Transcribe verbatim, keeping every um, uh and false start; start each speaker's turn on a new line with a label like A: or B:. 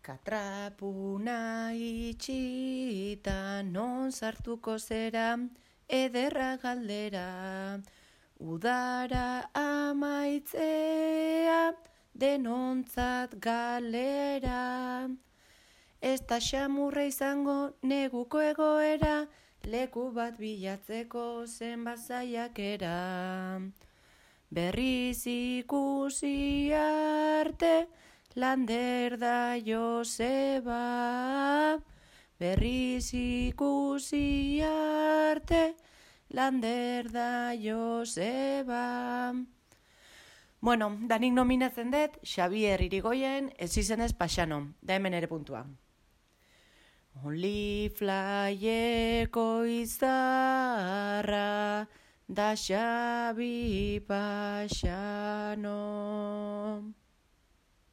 A: Katrapuna itxita non sartuko zera, ederra galdera. Udara amaitzea, denontzat galera. Ez da xamurra izango neguko egoera, leku bat bilatzeko zenbat saiakera. Berriz ikusi arte, Lander da Joseba. Berriz ikusi arte, Lander da Joseba. Bueno, danik nominatzen dut, Xabier Irigoyen, ez izenez Paxano, da hemen ere puntua. Oliflayeko izarra, da Xabi Paxano.